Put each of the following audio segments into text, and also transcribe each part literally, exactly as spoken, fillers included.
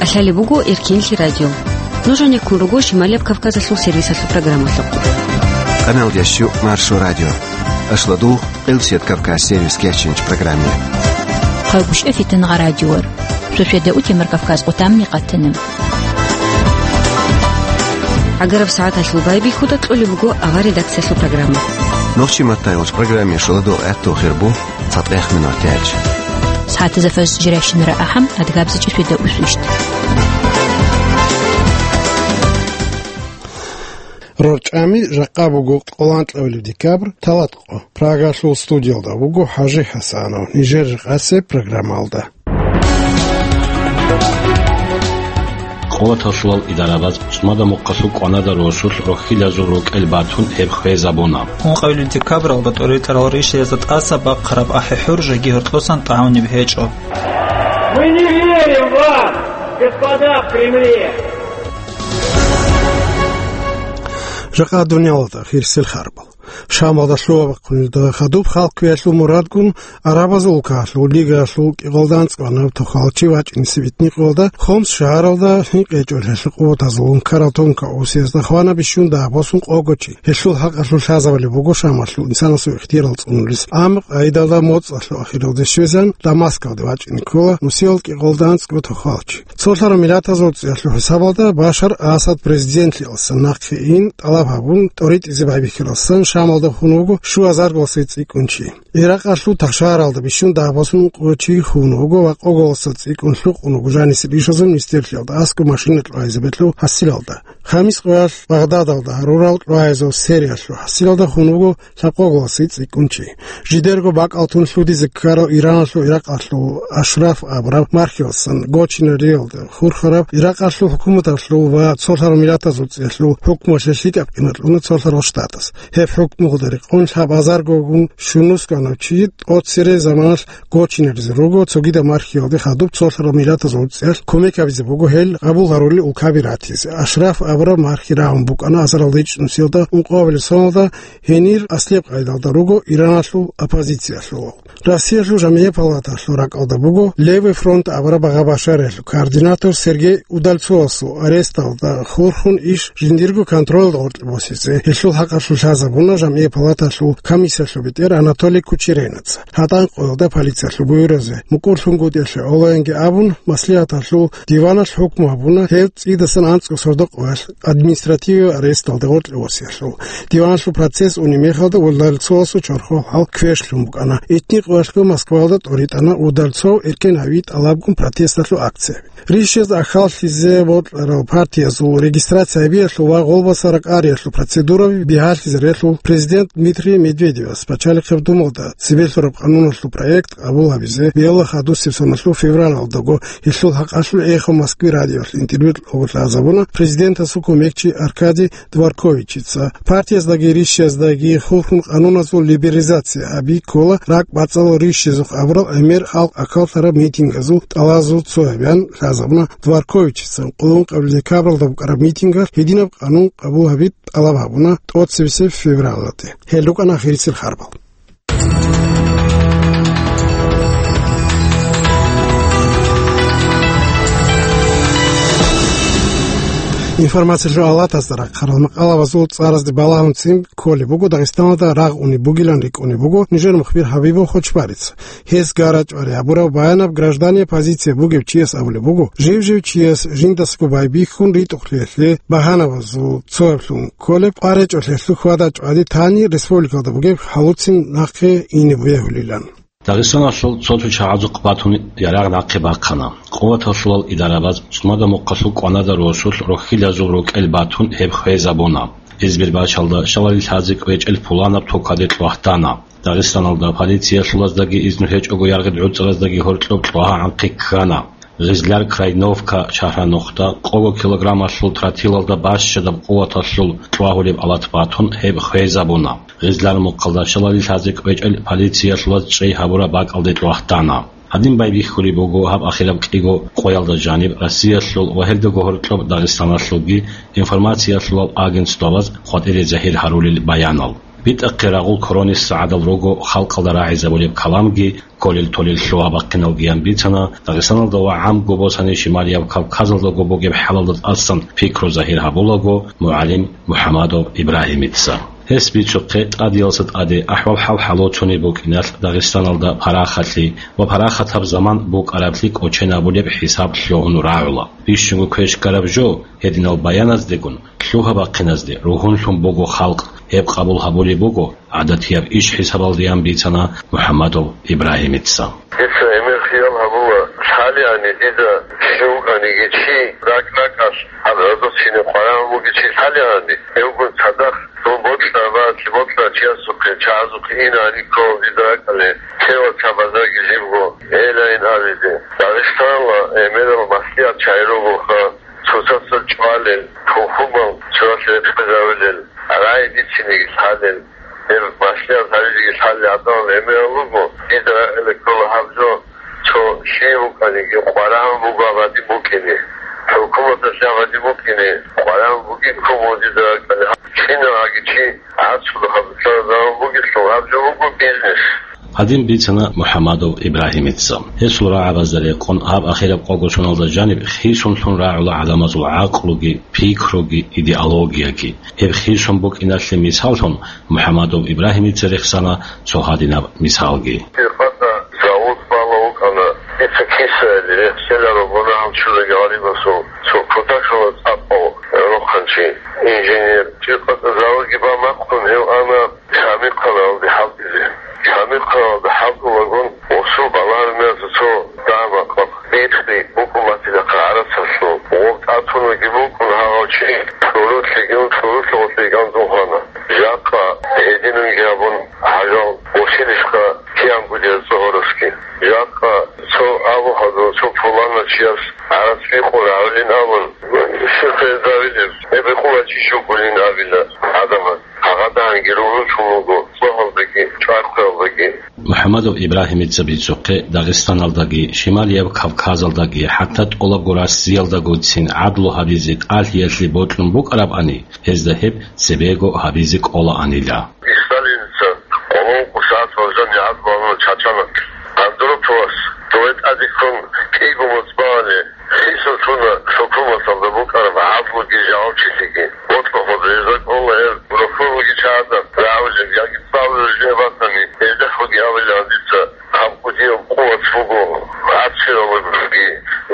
Лъалеб буго Эркинлъи радио. Нуж гьанир ккун руго Шималияб Кавказалъул сервисалъул программалъухъ. Канал дящу Маршо радио. Ашладу Къилсият Кавказ сервис кечинч программе. Хъалгушев Фитнагъа радиор. Шошеда утемар Кавказ къутамни къатана. Агараб сагӀаталъул байбихьуда кьолеб буго авар редакциялъул программа. Нохчи маттайолч программе шуладу гӀатту хирбу. ЦатӀех минутач. СагӀатазда фаз жирайщинара ахӀам, адгабзичӀи шведа усвищт. РорчӀами жакъа буго къоланкьавилеб декабрь, талатӀкъо. Прагалъул студиялда вуго ХӀажи ХӀасанов. Нижер рекъасе программалда. Къуваталъулал идарабаз цӀумада мухъалъул кӀванада росулъ рохьилазул рукӀел батун гьеб хвезабуна. Ункъавилил декабралда тӀоритӀарал ришаязда тӀаса бахъараб ахӀи-хӀур жеги гьоркьосан тӀагӀунеб гьечӀо. Мы не верим вам, господа в Кремле! Жакъа дуниялалда хирсел харбал. Шамалда лъугьа-бахъунилда хадуб халкъ квеялъул мурадгун, Арабазул улкаялъул лигаялъул кӀикъоялда анцӀгояб тохалчи вачӀинесеб итникъоялда Хомс шагьаралда гьинкъичӀолъиялъе къуватазул ункарал тонкаусиязда хвана бищун дагьабасун къого чи. Гьелъул хӀакъалъулъ лъазабулеб буго Шамалъул инсанасул ихтияр цӀунулес. Амма къайдалда моцӀалъул ахиралде щвезан Дамаскалде вачӀине ккола нусиялда кӀикъоялда анцӀго тохалчи. Цолъараб Миллатазул ЦӀиялъул хӀисабалда Башар Асад президентлъиялдасан нахъе ин тӀалаб гьабун, тӀоритӀизе байбихьаралдасан Шамалда хун вуго щуазарго цӀикӀкӀун чи. Иракъалъул Тахшаралда бищун дагьабасун ункъо чи хун вуго ва къоголаса цӀикӀкӀун лъукъун вуго жанисеб ишазул министрлъиялда аскӀоб машина кьвайзабилъул хӀасилалда. Хамис къоялъ Багъдадалда гьарурал кьвайзаб сериялъул хӀасилалда хун вуго лъабкъоголаса цӀикӀкӀун чи. Жидерго бакӀал тун лъудизе ккарал Ираналъул Иракъалъул Ашраф абураб мархиялдасан Гочинериялда хурхараб Иракъалъул хӀукуматалъул ва цолъараб Миллатазул ЦӀиялъул хӀукмуялъе лъикӀаб къимат кьуна цолъарал штатас. Гьеб хӀукмуялда рекъон лъабазаргогун щунусгӀанав чи тӀоцере заманалъ гочинеризе руго, цогидаб мархиялде хадуб цолъарал Миллатазул ЦӀиялъ кумек гьабизе буго гьел къабул гьарулел улкаби ратизе. Ашраф абураб мархи рагӀун букӀана азарилда ичӀнусиялда ункъоялда соналда, гьенир аслияб къайдалда руго Ираналъул оппозициялъул. Россиялъул жамгӀият палаталъул ракӀалда буго Левый фронт абураб багъа-башариялъул координатор Сергей Удальцовасул аресталда хурхун иш жиндирго контролалда гъоркье босизе. Гьелъул хӀакъалъулъ лъазабуна жамгӀият палаталъул комиссиялъул бетӀер Анатолий Кучеренаца. ГьатӀан къоялда полициялъул буюразе мукӀурлъунгутӀиялъе гӀолоянги абун, маслигӀаталъул диваналъ хӀукму гьабуна гьев цӀидасан анцӀго сордо къоялъ административияб аресталда гъоркье босиялъул. Диваналъул процесс унеб мехалда Удальцовасул чорхол хӀал квешлъун букӀана. Итни къоялъго Москваялда тӀоритӀана Удальцов эркен гьави тӀалабгун протесталъул акция. Ришазда ахӀаллъизе бокьарал партиязул регистрация гьабиялъул ва гъолбаса ракӀариялъул процедураби бигьалъизе релъул президент Дмитрий Медведевас пачалихъеб Думалда цебе лъураб къануналъул проект къабул гьабизе, биялда хадусеб соналъул февралалдаго гьелъул хӀакъалъулъ эхо Москвы радиоялъ интервью кього лъазабуна президентасул кумекчи Аркадий Дворковичица. Партияздаги ришшаздаги хурхун къануназул либерализация гьаби ккола ракӀбацӀцӀалъ ришшизухъ абурал гӀемер халкъ акаллъараб митингазул тӀалабазул цояб, ян лъазабуна Дворковичица. Къуллукъабилеб декабралда букӀараб митингалъ гьединаб къанун къабул гьаби тӀалаб гьабуна тӀоцебесеб февралалде. Гьел рукӀана ахирисел харбал. Информациялъул алатазда рахъарал макъалабазул цӀаразде балагьун цӀин кколеб буго Дагъистаналда рагъ унеб бугилан рикӀкӀунеб буго нижер мухбир Хабибов Хочбарица. Гьес гара-чӀвари гьабураб баянаб граждания позиция бугев чияс абулеб буго, жив-жив чияс жиндасго байбихьун ритӀухълъиялъе багьанабазул цояблъун кколеб къваригӀинчӀолъиялъул хьвада-чӀвади тани республикалда бугеб хӀалуцин нахъе ине бегьулилан. Дагъистаналъул цо-цо чагӀазухъ батун ярагъ нахъе бахъана. Къуваталъулал идарабаз цӀумада мухъалъул кӀванада росулъ рохьилазул рукӀел батун гьеб хвезабуна. Гьезбир бачалда шалали лъазе кӀвечӀел пуланаб токаде кьвагьтана. Дагъистаналда полициялъулаздаги изну гьечӀого яргъи гӀуцӀараздаги гьоркьоб кьвагьа гӀанхъи ккана. Гъизлар, Крайновка, Шагьранохда къого килограммалъул тротилалда бащадаб къуваталъул кьвагьулеб алат батун гьеб хвезабуна. Гъизлар мухъалда шалали лъазе кӀвечӀел полициялъулаз чӀей гьабураб бакӀалде кьвагьтана. Гьадин байбихьулеб буго гьаб ахираб кӀиго къоялда жаниб Россиялъул ва гьелдаго гьоркьоб Дагъистаналъулги информациялъулал агентствабаз къватӀире загьир гьарулел баянал. БитӀахъе рагъул корони сагӀадал руго халкъалда рагӀизабулеб каламги, кколел-толел лъугьа-бахъиналгиян бицана, Дагъистаналда ва гӀамго босани Шималияб Кавказалдаго бугеб хӀалалда тӀасан пикру загьир гьабулаго мугӀалим МухӀамадов Ибрагьимица. Гьес бицухъе тӀадиялса тӀаде ахӀвал-хӀал хӀалоцунеб букӀиналъ Дагъистаналда парахалъи ва парахатаб заман букӀараблъи кӀоченабулеб хӀисаб лъугьун рагӀула. Бищунго квеш ккараб жо, гьединал баяназдегун, лъугьа-бахъиназде ругьунлъун буго халкъ, гьеб къабул гьабулеб буго гӀадатияб иш хӀисабалдеян бицана МухӀамадов Ибрагьимица. Дица гӀемер хиял гьабула, лъалеани дида щив вукӀаниги чи ракӀ-ракӀалъ гьаб гӀодов чине къварагӀун бугев чи лъалеани, гьевгун цадахъ дун бокьараб, бокьарав чиясухъе, чагӀазухъе инаани ккола дида ракӀалде, лъела цабазаги жибго гьелайин абизе. Дагъистаналда гӀемерал маслигӀат чагӀи ругоха, цоцазда чӀвалел, тухумал цояс рекъезавулел, рагӀи бицинеги лъалел, гьеб маслигӀат гьабизеги лъалел гӀадамал гӀемерал руго, дида рагӀи ккола гьаб жо, цо лъие вукӀаниги къварагӀун буго абадин букӀине, хӀукуматалъе абадин букӀине къварагӀун бугин ккун буго дида ракӀалде. КиналгӀаги чи гӀацӀцӀулахъаб цоязда гьабун бугелъул гьаб жо буго бизнес. Гьадин бицана МухӀамадов Ибрагьимица. Гьесул рагӀабазда рекъон гьаб ахираб къого соналда жаниб хисунлъун рагӀула гӀадамазул гӀакълуги, пикруги, идеологияги. Гьеб хисун букӀиналъе мисаллъун МухӀамадов Ибрагьимица рехсана цо гьадинаб мисалги. Циркъазда завод бала вукӀана, дица кисаялде рехсела рогьунагьал чулаги гъалибасул цо кутакалда цӀакъав рохъанчи, инженер. Циркъазда заводги бан бахъун гьев ана Шамихъаналде хӀалтӀизе. Шамихъаналде хӀалтӀулагун, гъосул балагьараб мехалъ цо дагьа-макъ бихъи букӀун батилахъа гӀарацалъул. Гъоб тӀатунаги букӀун гьагъав чи, тӀурулъиги ун тӀурулъа гъорлъе кӀанцӀун хвана. Жакъа гьединанги гьабун, гьажал босилищха киянго дида цӀогьорасги. Жакъа цо абу гьадур, цо пуланав чияс гӀарац бикъун рагӀулин абун, щиб гьезда гьабилеб? Гьеб бикъулев чи щиб гулин абила гӀадамаз. Гьагъадагьанги ругьунлъун вуго цӀогьалдаги чӀвай-хъвеялдаги. МухӀамадов Ибрагьимица бицухъе Дагъистаналдаги, Шималияб Кавказалдаги, хӀатта тӀолабго Россиялдагоцин гӀадлу гьабизе тӀалъиялъе бокьун букӀарабани, гьезда гьеб цебего гьабизе кӀолаанила. Сталиница къоло ункъо сагӀат валжани гӀадлу гьабуна чачана. Андроповас дове тӀаде ккун кӀиго моцӀ багьани, хисун лъуна хӀукуматалда букӀараб гӀадлуги жавабчилъиги. Бокьухъ гьезда кӀола гьел рухьулги чагӀазда рагӀулел яги цӀалулел жо батани, гьелдехъги абилан дица, гьаб кӀудияб къуват буго, гӀацӀцӀиялдаги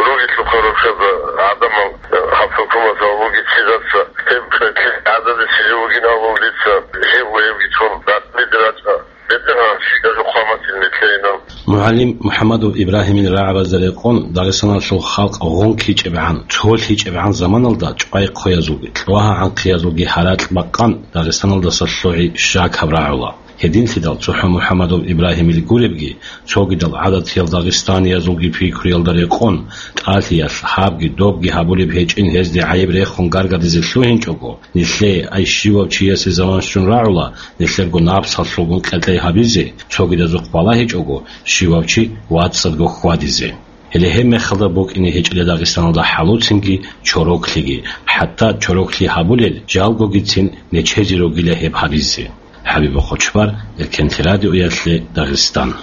ругелъулха рухьазда гӀадамал гьаб хӀукуматалда бугеб чиясда, гьеб къетлъи гӀададисеб жо бугин абун дица, жибго гьебги тун, ракӀалде рачӀа. БетӀергьан, щиб гьабизе хъван батилин нилъее. МугӀалим МухӀамадов Ибрагьимил рагӀабазда рекъон, Дагъистаналъул халкъ гъункичӀебгӀан, цолъичӀебгӀан заманалда чӀвай-хъвеязулги, лъугьа-гӀанхъиязулги гьаракь бакъан, Дагъистаналдаса лъугӀи щакаб рагӀула. Гьединлъидал цохӀо МухӀамадов Ибрагьимил гуребги, цогидал гӀадатиял дагъистаниязулги пикруялда рекъон, тӀалъиялъ гьабги добги гьабулеб гьечӀин гьезде гӀайиб рехун гаргадизе лъугьинчӀого, нилъее, ай щивав чиясе заман щун рагӀула, нилъерго напсалъулгун кьекьей гьабизе, цогидазухъ балагьичӀого, щивав чи вацӀцӀадго хьвадизе. Гьеле гьеб мехалда букӀине гьечӀила Дагъистаналда хӀалуцинги чороклъиги, хӀатта чороклъи гьабулел жалгогицин нечезе ругила гьеб гьабизе. ХӀабиб Хъучбар, Эркенлъи радиоялъе, Дагъистан.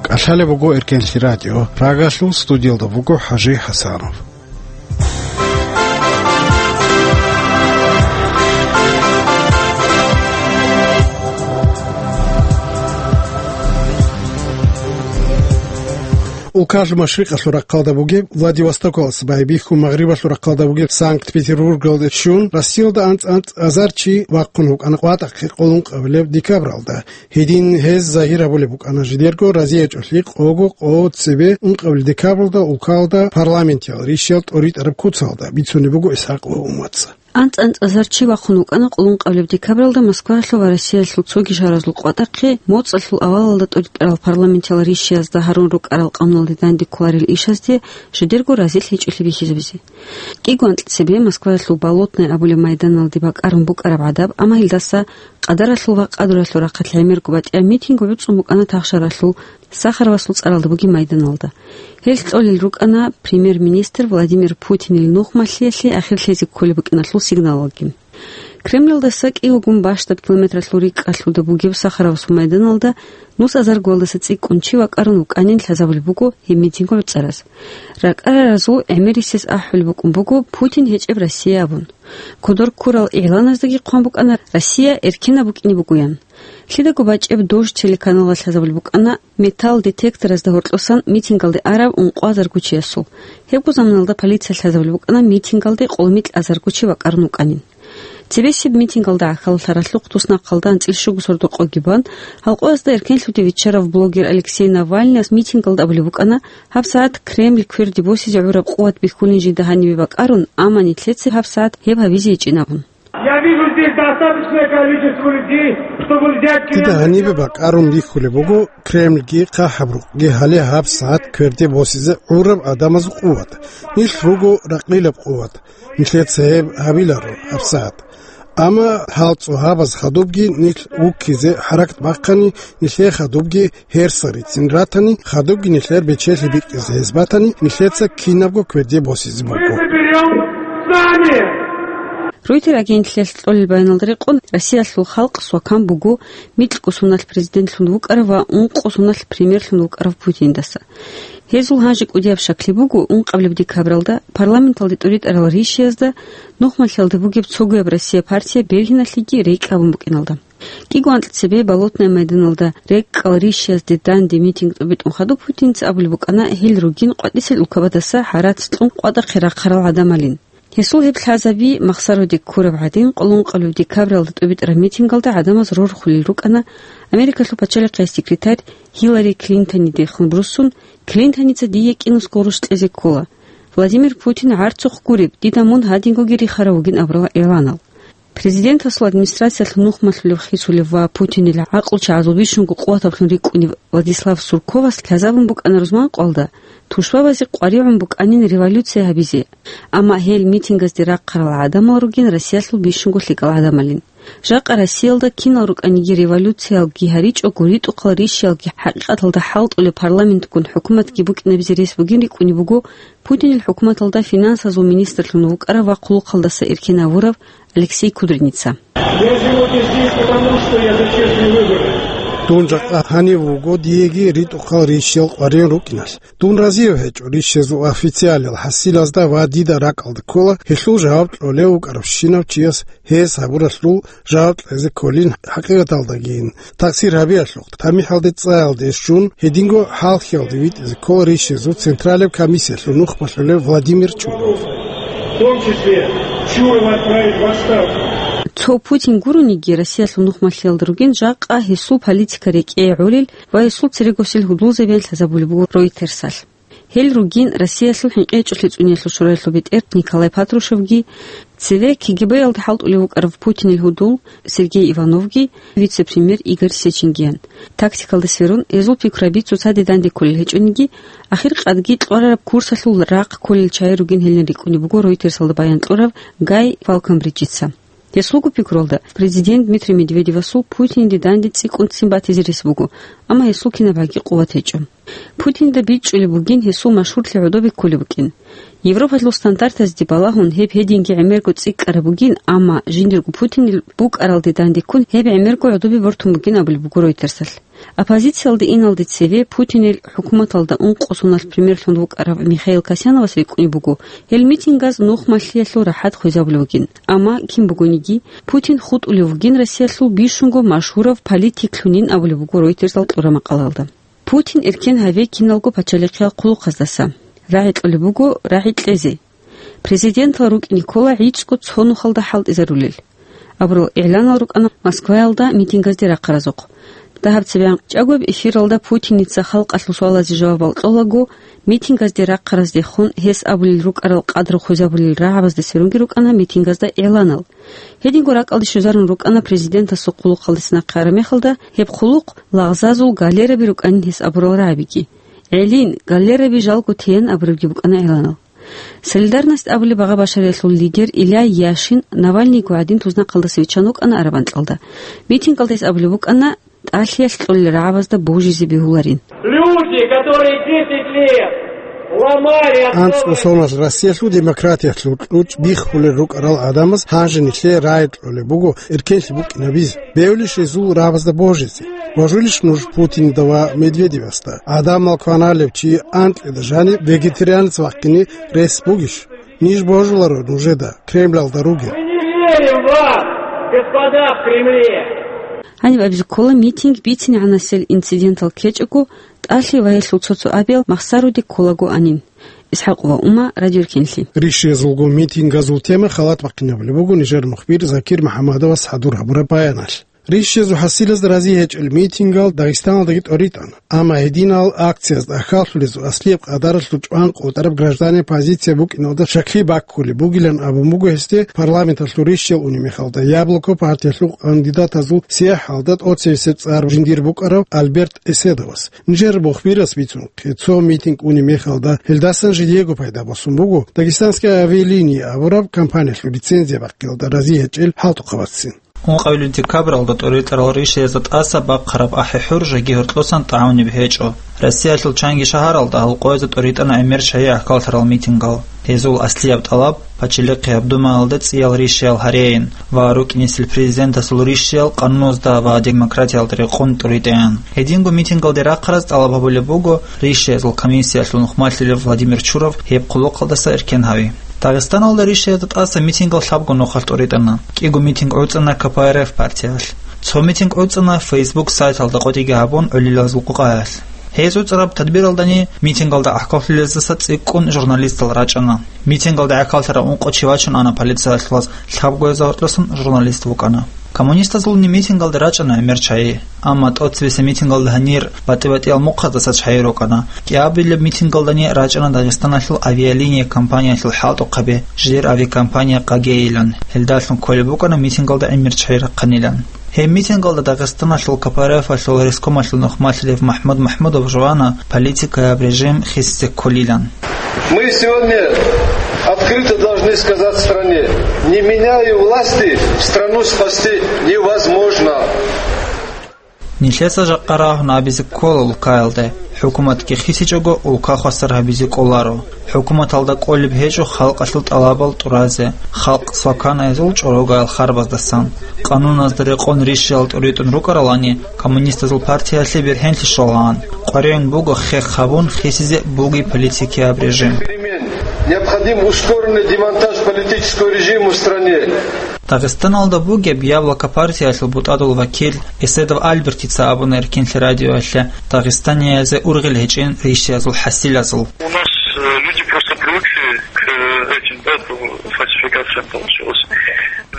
КӀалъалеб буго Эркенлъи радио. Прагалъул студиялда буго ХӀажи ХӀасанов. Улкалъ машрикъалъул рахъалда бугеб Владивостокалдаса байбихьун, магърибалъул рахъалда бугеб Санкт-Петербургалде щун, Россиялда анцӀ-анцӀазар чи вахъун вукӀана къватӀахъе къоло ункъабилеб декабралда. Гьедин гьез загьир гьабулеб букӀана жидерго разиячӀолъи къого къо цебе ункъабилеб декабралда улкалда парламентиял ришиял тӀоритӀараб куцалда, бицунеб буго ИсхӀакъ ва УмацӀа. АнцӀ-анцӀазар чи вахъун вукӀана къоло ункъабилеб декабралда Москваялъул ва Россиялъул цоги шагьаразул къватӀахъе, моцӀалъул авалалда тӀоритӀарал парламентиял ришиязда гьарун рукӀарал къануналде данде кколарел ишазде жидерго разилъичӀолъи бихьизабизе. КӀиго анкьцебе Москваялъул Болотное абулеб майданалде бакӀарун букӀараб гӀадаб, амма гьелдаса къадаралъул ва къадуралъул рахъалъ гӀемерго батӀияб митинг гӀуцӀун букӀана Тахшаралъул Сахаровасул цӀаралда бугеб майданалда. Гьелъ кьолел рукӀана премьер-министр Владимир Путинил нухмалъиялъе ахирлъизе кколеб букӀиналъул сигналалги. Кремльалдаса кӀиявгун бащдаб километралъул рикӀкӀалъуда бугеб Сахаровасул майданалда нус азаргоялдаса цӀикӀкӀун чи вакӀарун вукӀанин лъазабулеб буго гьеб митинг гӀуцӀараз. РакӀараразул гӀемерисез ахӀулеб букӀун буго Путин гьечӀеб Россия абун. Кодор ккурал игъланаздаги хъван букӀана Россия эркенаб букӀине бугоян. Лъидаго бачӀеб Дождь телеканалалъ лъазабулеб букӀана металл детекторазда гьоркьосан митингалде арав ункъо азарго чиясул. Гьебго заманалда полициялъ лъазабулеб букӀана митингалде къоло микьазарго чи вакӀарун вукӀанин. Цебесеб митингалда гӀахьаллъаралъухъ туснахъалда анцӀил щуго сордо къоги бан, гьалкъоязда эркенлъуде виччарав блогер Алексей Навальныяс митингалда абулеб букӀана, гьабсагӀат Кремль кверде босизе гӀураб къуват бихьулин жинда гьанибе бакӀарун, амма нилъеца гьабсагӀат гьеб гьабизе гьечӀин абун. Я вижу здесь достаточное количество людей, чтобы взять Кремль. Дида гьанибе бакӀарун бихьулеб буго Кремльги хъахӀаб рукъги гьале гьабсагӀат кверде босизе гӀураб гӀадамазул къуват. Нилъ руго ракъилаб къуват. Нилъеца гьеб гьабиларо гьабсагӀат. Амма гьал цӀогьабаз хадубги нилъ вуккизе хӀаракат бахъани, нилъее хадубги гьерса рицин ратани, хадубги нилъер бечелъи бикьизе гьез батани, нилъеца кинабго кверде босизе буго. Мы соберём сами. Ройтер агенталъ кьолел баяналда рекъон, Россиялъул халкъ свакан буго микьго соналъ президентлъун вукӀарав ва ункъо соналъ премьерлъун вукӀарав Путиндаса. Гьезул гьанже кӀудияб щаклъи буго ункъабилеб декабралда парламенталде тӀуритӀарал ришиязда нухмалъиялда бугеб цогояб Россия партия бергьиналъеги рейд кьабун букӀиналда. КӀиго анкьа цебе Болотное майданалда рекӀкӀал ришиязде данде митинг тӀубитӀун хадуб Путинца абулеб букӀана гьел ругин къватӀисел улкабадаса гьарац кьун къватӀахъе рахъарал гӀадамалин. Гьесул гьеб лъазаби махсароде ккураб гӀадин, къоло ункъабилеб декабралда тӀубитӀараб митингалда гӀадамаз рорхулел рукӀана Америкалъул пачалихъияс секретарь Гьиллари Клинтонидехун буссун, Клинтоница дие кӀинусго гъурущ кьезе ккола. Владимир Путин гӀарцухъ гуреб, дида мун гьадингоги рихарав вугин абурал игъланал. Президентасул администрациялъ нухмалъулев хисулев ва Путинил гӀакълучагӀазул бищунго къуватаблъун рикӀкӀунев Владислав Сурковас лъазабун букӀана рузманкъоялда, тушбабазе къваригӀун букӀанин революция гьабизе. Амма гьел митингазде рахъарал гӀадамал ругин Россиялъул бищунго лъикӀал гӀадамалин. Жакъа Россиялда кинал рукӀаниги революциялги гьаричӀого, ритӀухъал ришиялги хӀакъикъаталда хӀалтӀулеб парламентгун хӀукуматги букӀинабизе рес бугин рикӀкӀунеб буго Путинил хӀукуматалда финансазул министрлъун вукӀарав ва хъулухъалдаса эркенавурав Алексей Кудринца. Я сегодня здесь потому, что я за честные выборы. Дун жакъа гьанив вуго диеги ритӀухъал ришиял къваригӀун рукӀиналъ. Дун разиев гьечӀо ришиязул официалиял хӀасилазда ва дида ракӀалда ккола гьелъул жаваб кьолев вукӀаравщинав чияс гьес гьабуралъул жаваб кьезе кколин хӀакъикъаталдагийин. Такъсир гьабиялъухъ, тамихӀалде цӀаялде щун, гьединго хӀалхьиялде витӀизе ккола ришиязул Централаб комиссиялъул нухмалъулев Владимир Чуров. В том числе Чурова отправить в отставку. Цо Путин гурониги, Россиялъул нухмалъиялда ругин жакъа гьесул политика рекӀее гӀолел ва гьесул церегосел гьудулзабиялъ лъазабулеб буго Ройтерсалъ. Гьел ругин Россиялъул хӀинкъичӀолъи цӀуниялъул шураялъул бетӀер Николай Патрушевги, цеве КГБ-ялда хӀалтӀулев вукӀарав Путинил гьудул Сергей Ивановги, вице-премьер Игорь Сеченгиян. Тактикалда сверун, гьезул пикрураби цоцаде данде кколел гьечӀониги, ахир къадги кьварараб курсалъул рахъ кколел чагӀи ругин гьелин рикӀкӀунеб буго Ройтерсалда баян кьурав Гай Фалконбриджица. Гьесулго пикрулда, президент Дмитрий Медведевасул Путинде данде цӀикӀкӀун ццин батизе рес буго, амма гьесул кинабгӀаги къуват гьечӀо. Путинда бичӀчӀулеб бугин гьесул машгьурлъи гӀодобе кколеб букӀин. Европалъул стандартазде балагьун гьеб гьединги гӀемерго цӀикӀкӀараб бугин, амма жиндирго Путинил букӀаралде дандеккун гьеб гӀемерго гӀодобе бортун бугин абулеб буго Ройтерсалъ. Оппозициялде иналде цеве Путинил хӀукуматалда ункъо соналъ премьерлъун вукӀарав Михаил Касьяновас рикӀкӀунеб буго, гьел митингаз нухмалъиялъул рахӀат хвезабулев вугин. Амма кин бугониги, Путин хутӀулев вугин Россиялъул бищунго машгьурав политиклъунин абулеб буго Ройтерсал кьураб макъалаялда. Путин эркен гьаве киналго пачалихъиял хъулухъаздаса. РагӀи кьолеб буго рагӀи кьезе. Президентал рукӀине ккола гӀицӀго цо нухалда хӀалтӀизарулел, абурал игъланал рукӀана Москваялда митингазде рахъаразухъ. Дагьаб цебе анкьчӀагояб эфиралда Путиница халкъалъул суалазе жавабал кьолаго, митингазде рахъараздехун гьес абулел рукӀарал къадру хвезабулел рагӀабазда сверунги рукӀана митингазда игъланал. Гьединго ракӀалде щвезарун рукӀана президентасул хъулухъалдаса нахъе араб мехалда, гьеб хъулухъ лагъзазул галераби рукӀанин гьес абурал рагӀабиги. ГӀелин, галераби жалго теян абурабги букӀана игъланал. Солидарность абулеб багъа-башариялъул лидер Илья Яшин Навальныйго гӀадин тузнахъалдаса виччан вукӀана араб анкьалда. Митингалда гьес абулеб букӀана, тӀалъиялъ кьолел рагӀабазда божизе бегьуларин. Люди, которые десять лет АнцӀго соналъ Россиялъул демократиялъул кьучӀ биххулел рукӀарал гӀадамаз гьанже нилъее рагӀи кьолеб буго эркенлъи букӀинабизе, бевлищ гьезул рагӀабазда божизе. Божулищ нуж Путинда ва Медведевасда? ГӀадамал кваналев чи анкьида жаниб вегетарианец вахъине рес бугищ? Ниж божуларо нужеда, Кремлалда ругел. Мы не верим вам, господа в Кремле! Гьаниб абизе ккола митинг бицинегӀанасел инцидентал ккечӀого, тӀалъи ва гьелъул цо-цо абиял махсаруде кколагоанин. ИсхӀакъ ва Ума, Радио Эркенлъи. Рищиязулго митингазул тема халат бахъинабулеб буго нижер мухбир Закир МухӀаммадовас хӀадур гьабураб баяналъ. Рищиязул хӀасилазда рази гьечӀел митингал Дагъистаналдаги тӀоритӀана. Амма гьединал акциязда ахьаллъулезул аслияб къадаралъул чӀван къотӀараб гражданин позиция букӀиналда щаклъи баккулеб бугилан абун буго гьесде парламенталъул рищиял унеб мехалда Яблоко партиялъул кандидатазул сияхӀалда тӀоцебесеб цӀар жиндир букӀарав Альберт Эседовас. Нижер мухбирас бицунхъе, цо митинг унеб мехалда гьелдасан жидеего пайда босун буго Дагестанская авиалиния абураб компаниялъул лицензия бахъиялда рази гьечӀел хӀалтӀухъабацин. Ункъабилеб декабралда тӀоритӀарал рищиязда тӀаса бахъараб ахӀи-хӀур жеги гьоркьосан тӀагӀунеб гьечӀо. Россиялъул чанги шагьаралда гьал къоязда тӀоритӀана гӀемер чагӀи ахьаллъарал митингал. Гьезул аслияб тӀалаб – Пачелихъияб Думаялда цӀиял рищиял гьарейин ва рукӀинесел президентасул рищиял къануназда ва демократиялда рекъон тӀуритӀеян. Гьединго митингалде рахъараз тӀалаб гьабулеб буго рищиязул комиссиялъул нухмалъилев Владимир Чуров гьеб хъулухъалдаса эркен гьави. Дагъистаналда рищиязда тӀаса митингал лъабго нухалъ тӀуритӀана. КӀиго митинг гӀуцӀана К П Р Ф партиялъ. Цо митинг гӀуцӀана Facebook сайталда къотӀиги гьабун гӀолилазул къукъаялъ. Гьез гӀуцӀараб тадбиралдани митингалда гӀахьаллъулездаса цӀикӀкӀун журналистал рачӀана. Митингалда гӀахьаллъарав ункъо чи вачун ана полициялъулаз, лъабгоязда гьоркьосан журналист вукӀана. Коммунистазулни митингалда рачӀана гӀемер чагӀи. Амма тӀоцебесеб митингалда гьанир батӀи-батӀиял мухъаздаса чагӀи рукӀана. КӀиабилеб митингалдани рачӀана Дагъистаналъул авиалиния компаниялъул хӀалтӀухъаби, жидер авиакомпания Къагейилан. Гьелдалъун кколеб букӀана митингалда гӀемер чагӀи рахъанилан. Гьеб митингалда Дагъистаналъул К П Р Ф-алъул рескомалъул нухмалъилев МахӀмуд МахӀмудов жувана политикаяб режим хисизе кколилан. Мы сегодня открыто должны сказать стране: не меняя власти, страну спасти невозможно. Нилъеца жакъа рагьун абизе ккола улкаялде, хӀукуматги хисичӀого улка хвасар гьабизе кӀоларо. ХӀукуматалда кӀолеб гьечӀо халкъалъул тӀалабал тӀуразе, халкъ сваканайзул чӀорогаял харбаздасан. Къануназда рекъон рищиял тӀуритӀун рукӀаралани, коммунистазул партиялъе бергьенлъи щолаан. КъваригӀун буго хех гьабун хисизе бугеб политикияб режим. Необходим ускоренный демонтаж политического режима в стране. Дагъистаналда бугеб Яблоко партиялъул бутӀадул вакил Эседов Альбертица абуна Эркенлъи радиоялъе дагъистаниязе ургъел гьечӀин рищиязул хӀасилазул. У нас, э, люди просто привыкли к, э, этим, да, по фальсификациям получилось.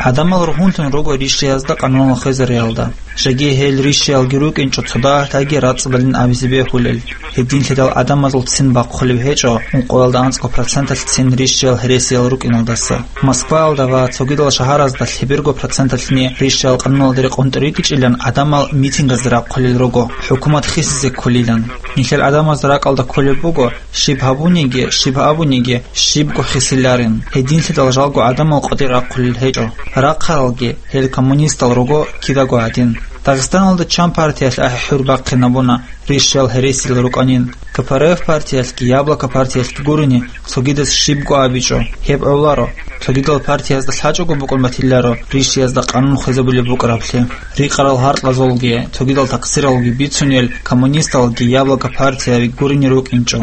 ГӀадамал ругьунлъун руго рищиязда къануналъ хвезариялда. Жеги гьел рищиялги рукӀинчӀо цо дагьалъаги рацӀцӀадалин абизе бегьулел. Гьединлъидал гӀадамазул ццин бахъулеб гьечӀо ункъоялда анцӀго проценталъ ццин рищиял гьересиял рукӀиналдаса. Москваялда ва цогидал шагьаразда лъеберго проценталъни рищиял къануналде рекъон тӀуритӀичӀилан гӀадамал митингазде рахъулел руго, хӀукумат хисизе кколилан. Нилъер гӀадамазда ракӀалда кколеб буго, щиб гьабуниги, щиб абуниги, щибго хисиларин. Гьединлъидал жалго гӀадамал къватӀир рахъулел гьечӀо. Рахъаралги, гьел коммунистал руго кидаго гьадин. Дагъистаналда чан партиялъ ахӀи-хӀур бахъинабуна, рищал гьересил рукӀанин. К П Р Ф партиялъги, Яблоко партиялъги гурони, цогидаз щибго абичӀо, гьеб гӀоларо. Цогидал партиязда лъачӀого букӀун батиларо рищиязда къанун хвезабулеб букӀараблъи. Рикъарал гьаркьазулги, цогидал такъсиралги бицунел, коммунисталги Яблоко партияви гурони рукӀинчӀо.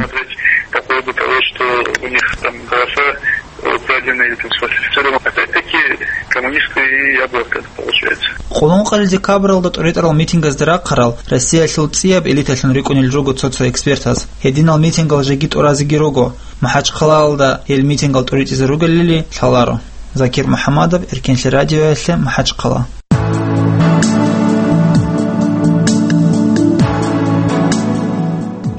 По поводу того, что у них там голоса, э, украдены или там сфальсифицированы. Опять-таки, коммунисты и Яблоко, это получается. Къуллункъалил декабралда тӀуритӀарал митингазде рахъарал Россиялъул цӀияб элиталъун рикӀкӀунел руго цо-цо экспертаз. Гьединал митингал жеги тӀуразеги руго. МахӀачхъалаялда гьел митингал тӀуритӀизе ругелали лъаларо. Закир МухӀаммадов, Эркенлъи радиоялъе, МахӀачхъала.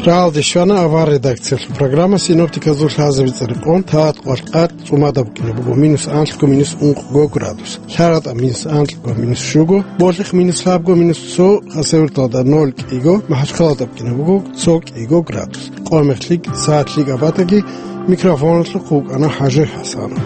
Рагьалде щвана авар редакциялъул программа. Синоптиказул лъазабица рекъон, тагъат къвалъ къад цӀумада букӀине буго минус анлъго, минус ункъго градус, ЛъагӀатӀа минус анлъго, минус щуго, Болъихъ минус лъабго, минус цо, Хасавюрталда ноль кӀиго, МахӀачхъалада букӀине буго цо кӀиго градус. Къо-, мехлъи, сагӀат лъикӀаб батаги, микрофоналъухъ вукӀана ХӀажи ХӀасанов.